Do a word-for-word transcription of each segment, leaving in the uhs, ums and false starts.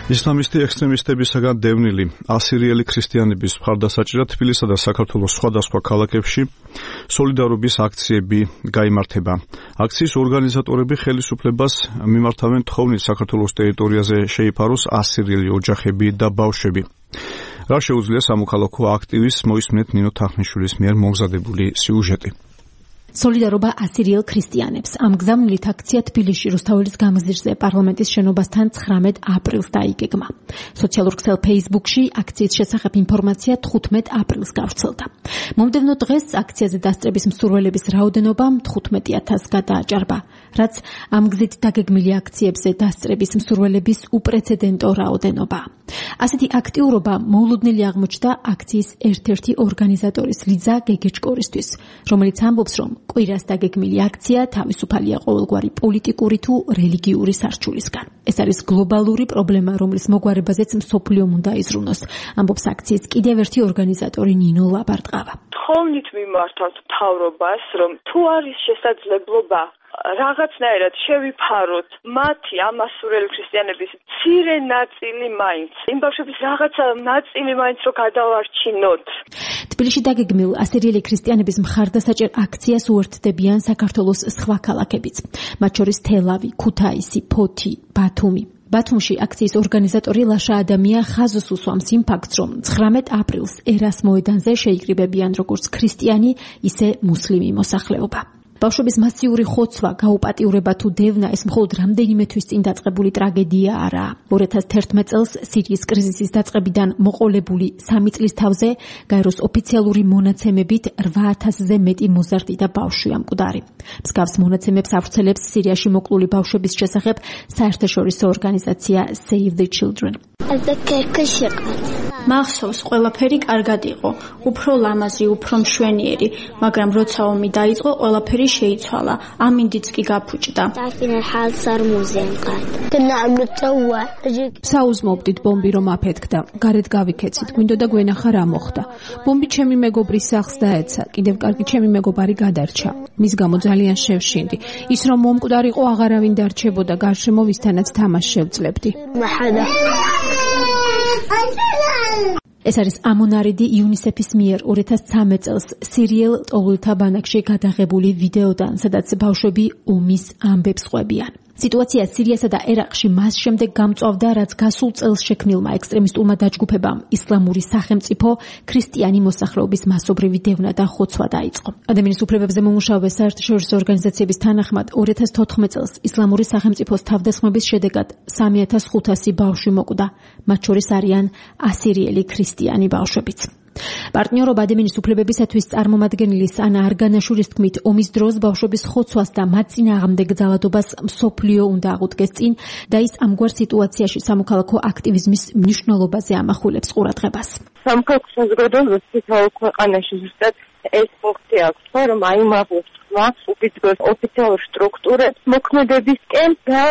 ისლამისტი ექსტრემისტებისაგან დევნილი ასირიელი ქრისტიანების მხარდასაჭერად თბილისსა და საქართველოს სხვადასხვა ქალაქებში სოლიდარობის აქციები გაიმართება. აქციის ორგანიზატორები ხელისუფლებას მიმართავენ თხოვნით საქართველოს ტერიტორიაზე შეიფაროს ასირიელი ოჯახები და ბავშვები. რა შეუძლია სამოქალაქო აქტივისტს მოისმენთ ნინო თახნიშვილის მიერ მომზადებული სიუჟეტი. სოლიდარობა ასირიელ ქრისტიანებს. ამ გზავნილით აქცია თბილისში რუსთაველის გამზირზე პარლამენტის შენობასთან ცხრამეტ აპრილს დაიგეგმა. სოციალურ ქსელ Facebook-ში აქციის შესახებ ინფორმაცია თხუთმეტ აპრილს გავრცელდა. მომდევნო დღეს აქციაზე დასწრების მსურველების რაოდენობა თხუთმეტ ათასს გადააჭარბა, რაც ამ გზით დაგეგმილი აქციებზე დასწრების მსურველების უპრეცედენტო რაოდენობა. ასეთი აქტიურობა მოულოდნელი აღმოჩნდა აქციის ერთ-ერთი ორგანიზატორის ლიზა გეგეჭკორისთვის, რომელიც ამბობს, რომ კვირას დაგეგმილი აქცია თავისუფალია ყოველგვარი პოლიტიკური თუ რელიგიური სარჩულისგან. ეს არის გლობალური პრობლემა, რომლის მოგვარებაზეც მსოფლიომ უნდა იზრუნოს, ამბობს აქციის კიდევ ერთი ორგანიზატორი ნინო ლაბარტყავა. თხოვნით მიმართავთ მთავრობას, რომ თუ არის შესაძლებლობა რაღაცნაირად შევიფაროთ მათი ამასურელი ქრისტიანების მცირე ნაწილი მაინც, იმ ბავშვების რაღაცა ნაწილი მაინც რო გადავარჩინოთ. თბილისში დაგეგმილ ასირიელი ქრისტიანების მხარდასაჭერ აქციას უერთდებიან საქართველოს სხვა ქალაქებიც, მათ შორის თელავი, ქუთაისი, ფოთი, ბათუმი. ბათუმში აქციის ორგანიზატორი ლაშა ადამია ხაზს უსვამს იმ ფაქტს, რომ ცხრამეტ აპრილს ერას მოედანზე შეიკრიბებიან როგორც ქრისტიანი, ისე მუსლიმი მოსახლეობა. ბავშვების მასიური ხოცვა, გაუპატიურება თუ დევნა ეს მხოლოდ რამდენიმე თვის წინ დაწყებული ტრაგედია არაა. ორი ათას თერთმეტ წელს სირიის კრიზისის დაწყებიდან მოყოლებული სამი წლის თავზე გაეროს ოფიციალური მონაცემებით რვა ათასზე მეტი მოზარდი და ბავშვია მკვდარი. მსგავს მონაცემებს ავრცელებს სირიაში მოკლული ბავშვების შესახებ საერთაშორისო ორგანიზაცია Save the Children. მახსოვს, ყველაფერი კარგად იყო, უფრო ლამაზი, უფრო მშვენიერი, მაგრამ როცა ომი დაიწყო, ყველაფერი შეიცვალა, ამინდიც კი გაფუჭდა. საუზმობდით ბომბი რომ აფეთქდა, გარეთ გავიქეცით, გვინდოდა გვენახა რა მოხდა. ბომბი ჩემი მეგობრის სახლს დაეცა, კიდევ კარგი ჩემი მეგობარი გადარჩა. მის გამო ძალიან შევშინდი. ის რომ მომკვდარიყო, აღარავინ დარჩებოდა, გარშემო ვისთანაც თამაშს შევძლებდი. ეს არის ამონარიდი იუნისეფის მიერ ორი ათას ცხრამეტ წელს სირიელ ტოვლთა ბანაკში გადაღებული ვიდეოდან, სადაც ბავშვები ომის ამბებს ყვებიან. სიტუაცია სირიასა და ერაყში მას შემდეგ გამწვავდა, რაც გასულ წელს შექმნილმა ექსტრემისტულმა დაჯგუფებამ ისლამური სახელმწიფო ქრისტიანი მოსახლეობის მასობრივი დევნა და ხოცვა დაიწყო. ადამიანის უფლებებზე მომუშავე საერთაშორისო ორგანიზაციების თანახმად ორი ათას თოთხმეტ წელს ისლამური სახელმწიფოს თავდასხმების შედეგად სამი ათას ხუთასი ბავშვი მოკვდა, მათ შორის არიან ასირიელი ქრისტიანი ბავშვებიც. პარტნიორობა ადამიანის უფლებებისათვის წარმომადგენლის ანა არგანაშვილის თქმით, ომის დროს ბავშვების ხოცვას და მათ წინააღმდეგ ძალადობას მსოფლიო უნდა აღუდგეს წინ და ის ამგვარ სიტუაციაში სამოქალაქო აქტივიზმის მნიშვნელობაზე ამახვილებს ყურადღებას. სამოქალაქო საზოგადოებისთვის ქვეყანაში ზუსტად ეს ფუნქცია აქვს, რომ აიმაღლოს უბიძგოს ოფიციალურ სტრუქტურებს მოქმედებისკენ და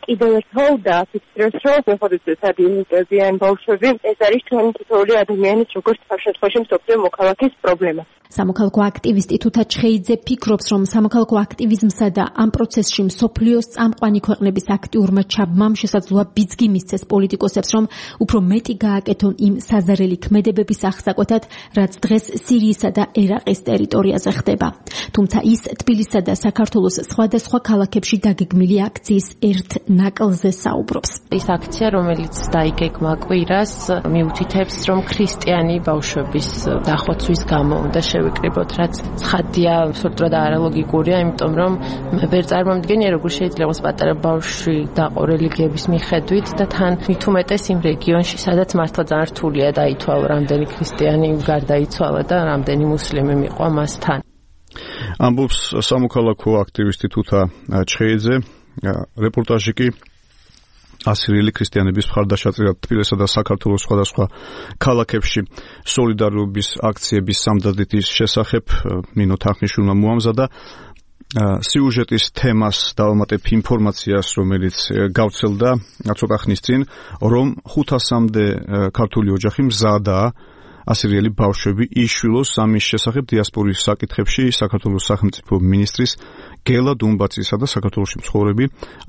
კიდევ ერთხელ დააფიქსიროს, რომ მეხოდეცად იმიტებიან ბავშვები, ეს არის ჩვენი თითოეული ადამიანის როგორც თავშეწყოში მსოფლიო მოქალაქის პრობლემა. სამოქალაქო აქტივისტი თუთა ჩხეიძე ფიქრობს, რომ სამოქალაქო აქტივიზმსა და ამ პროცესში მსოფლიოს წამყვანი ქვეყნების აქტიურმა ჩაბმამ შესაძლოა ბიძგი მისცეს პოლიტიკოსებს, რომ უფრო მეტი გააკეთონ იმ საზარელი ქმედებების აღსაკვეთად, რაც დღეს სირიისა და ერაყის ტერიტორიაზე ხდება. თუმცა ის თბილისსა და საქართველოს სხვადასხვა ქალაქებში დაგეგმილი აქციის ერთ ნაკლზე საუბრობს. ის აქცია, რომელიც დაიგეგმა კვირას, მიუთითებს, რომ ქრისტიანი ბავშვების დახოცვის გამო უნდა შევიკრიბოთ, რაც ცხადია, სულტრა და არალოგიკურია, იმიტომ რომ მე ვერ წარმომიდგენია, როგორ შეიძლება პატარა ბავშვი დაყო რელიგიების მიხედვით და თან მით უმეტეს იმ რეგიონში, სადაც მართლა ძალიან რთულია დაითვალო, რამდენი ქრისტიანი გარდაიცვალა და რამდენი მუსლიმი მიყვა მასთან. ამბობს სამოქალაქო აქტივისტი თუთა ჩხეიძე. რეპორტაჟი კი ასირიელი ქრისტიანების მხარდასაჭერად თბილისსა და საქართველოს სხვადასხვა ქალაქებში სოლიდარობის აქციების სამდადრეთის შესახებ ნინო თახნიშვილმა მოამზადა. სიუჟეტის თემას დავამატებ ინფორმაციას, რომელიც გავრცელდა ცოტა ხნის წინ, რომ ხუთასამდე ქართული ოჯახი მზადაა ასირიელი ბავშვები იშვილოს ამის შესახებ დიასპორის საკითხებში საქართველოს სახელმწიფო მინისტრის გელა დუმბაცისა და საქართველოში მცხოვრები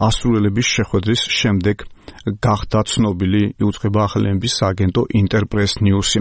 ასრულელების შეხვედრის შემდეგ გახდა ცნობილი, იუწყება ახალი ემბის სააგენტო ინტერპრეს ნიუსი.